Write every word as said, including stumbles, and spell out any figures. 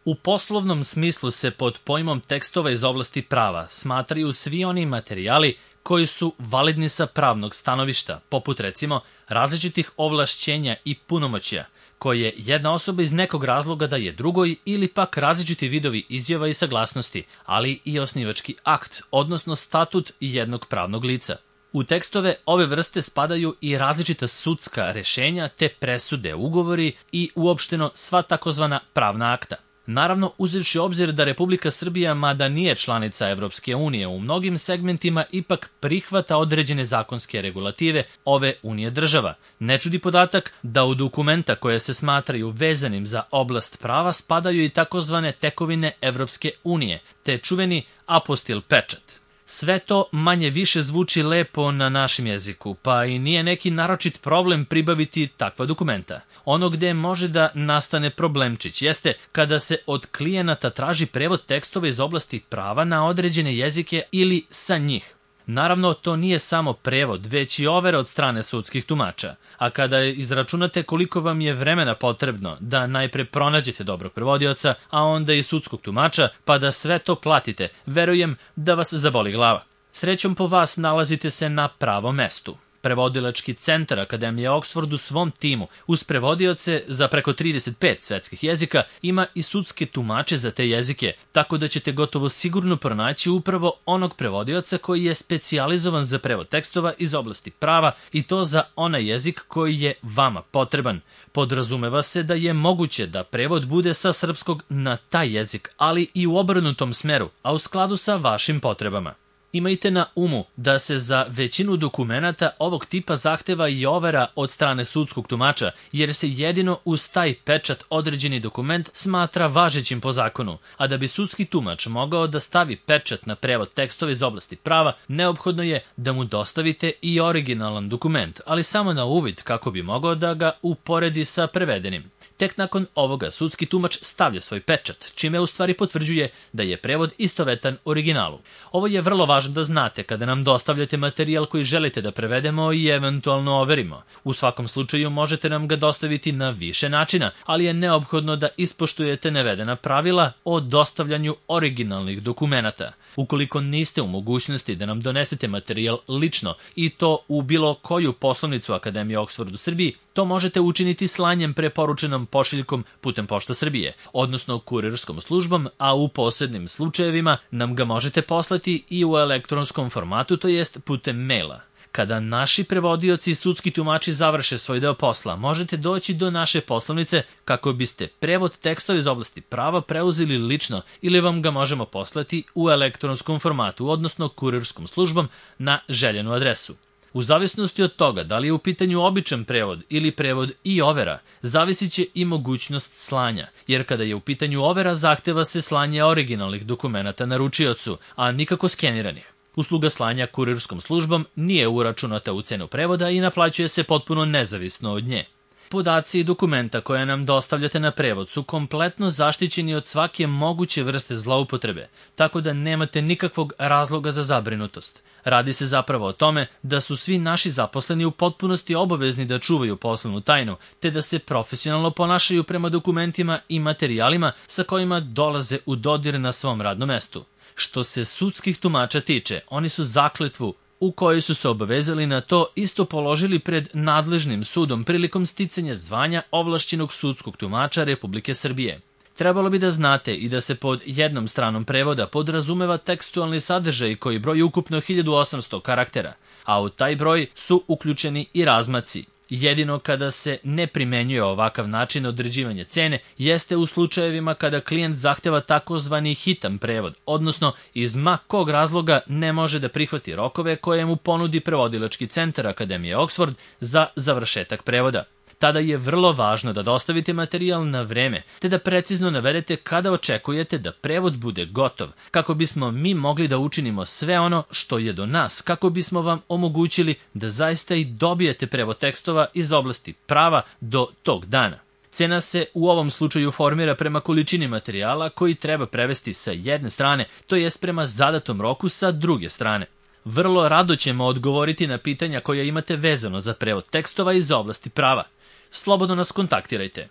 U poslovnom smislu se pod pojmom tekstova iz oblasti prava smatraju svi oni materijali koji su validni sa pravnog stanovišta, poput recimo različitih ovlašćenja i punomoćja, koje jedna osoba iz nekog razloga daje drugoj ili pak različiti vidovi izjava i saglasnosti, ali i osnivački akt, odnosno statut jednog pravnog lica. U tekstove ove vrste spadaju i različita sudska rešenja te presude, ugovori i uopšteno sva takozvana pravna akta. Naravno, uzevši obzir da Republika Srbija, mada nije članica Evropske unije, u mnogim segmentima ipak prihvata određene zakonske regulative ove unije država. Ne čudi podatak da u dokumenta koje se smatraju vezanim za oblast prava spadaju i takozvane tekovine Evropske unije, te čuveni apostil pečat. Sve to manje više zvuči lepo na našem jeziku, pa i nije neki naročit problem pribaviti takva dokumenta. Ono gde može da nastane problemčić jeste kada se od klijenata traži prevod tekstova iz oblasti prava na određene jezike ili sa njih. Naravno, to nije samo prevod, već i overa od strane sudskih tumača. A kada izračunate koliko vam je vremena potrebno da najpre pronađete dobrog prevodioca, a onda i sudskog tumača, pa da sve to platite, verujem da vas zaboli glava. Srećom po vas nalazite se na pravom mestu. Prevodilački centar Akademije Oxford u svom timu, uz prevodioce za preko trideset pet svetskih jezika, ima i sudske tumače za te jezike, tako da ćete gotovo sigurno pronaći upravo onog prevodioca koji je specijalizovan za prevod tekstova iz oblasti prava i to za onaj jezik koji je vama potreban. Podrazumeva se da je moguće da prevod bude sa srpskog na taj jezik, ali i u obrnutom smeru, a u skladu sa vašim potrebama. Imajte na umu da se za većinu dokumenata ovog tipa zahteva i overa od strane sudskog tumača, jer se jedino uz taj pečat određeni dokument smatra važećim po zakonu, a da bi sudski tumač mogao da stavi pečat na prevod tekstova iz oblasti prava, neophodno je da mu dostavite i originalan dokument, ali samo na uvid kako bi mogao da ga uporedi sa prevedenim. Tek nakon ovoga sudski tumač stavlja svoj pečat, čime u stvari potvrđuje da je prevod istovetan originalu. Ovo je vrlo važno da znate kada nam dostavljate materijal koji želite da prevedemo i eventualno overimo. U svakom slučaju možete nam ga dostaviti na više načina, ali je neophodno da ispoštujete navedena pravila o dostavljanju originalnih dokumenata. Ukoliko niste u mogućnosti da nam donesete materijal lično i to u bilo koju poslovnicu Akademije Oxford u Srbiji, to možete učiniti slanjem preporučenom pošiljkom putem Pošta Srbije, odnosno kurirskom službom, a u posebnim slučajevima nam ga možete poslati i u elektronskom formatu, to jest putem maila. Kada naši prevodioci i sudski tumači završe svoj deo posla, možete doći do naše poslovnice kako biste prevod tekstova iz oblasti prava preuzeli lično ili vam ga možemo poslati u elektronskom formatu, odnosno kurirskom službom na željenu adresu. U zavisnosti od toga da li je u pitanju običan prevod ili prevod i overa, zavisit će i mogućnost slanja, jer kada je u pitanju overa zahteva se slanje originalnih dokumenata naručiocu, a nikako skeniranih. Usluga slanja kurirskom službom nije uračunata u cenu prevoda i naplaćuje se potpuno nezavisno od nje. Podaci i dokumenta koje nam dostavljate na prevod su kompletno zaštićeni od svake moguće vrste zloupotrebe, tako da nemate nikakvog razloga za zabrinutost. Radi se zapravo o tome da su svi naši zaposleni u potpunosti obavezni da čuvaju poslovnu tajnu, te da se profesionalno ponašaju prema dokumentima i materijalima sa kojima dolaze u dodir na svom radnom mestu. Što se sudskih tumača tiče, oni su zakletvu u kojoj su se obavezali na to isto položili pred nadležnim sudom prilikom sticanja zvanja ovlašćenog sudskog tumača Republike Srbije. Trebalo bi da znate i da se pod jednom stranom prevoda podrazumeva tekstualni sadržaj koji broji ukupno hiljadu osamsto karaktera, a u taj broj su uključeni i razmaci. Jedino kada se ne primenjuje ovakav način određivanja cene jeste u slučajevima kada klijent zahteva takozvani hitan prevod, odnosno iz ma kog razloga ne može da prihvati rokove koje mu ponudi prevodilački centar Akademije Oxford za završetak prevoda. Tada je vrlo važno da dostavite materijal na vreme, te da precizno navedete kada očekujete da prevod bude gotov, kako bismo mi mogli da učinimo sve ono što je do nas, kako bismo vam omogućili da zaista i dobijete prevod tekstova iz oblasti prava do tog dana. Cena se u ovom slučaju formira prema količini materijala koji treba prevesti sa jedne strane, to jest prema zadatom roku sa druge strane. Vrlo rado ćemo odgovoriti na pitanja koja imate vezano za prevod tekstova iz oblasti prava. Slobodno nas kontaktirajte.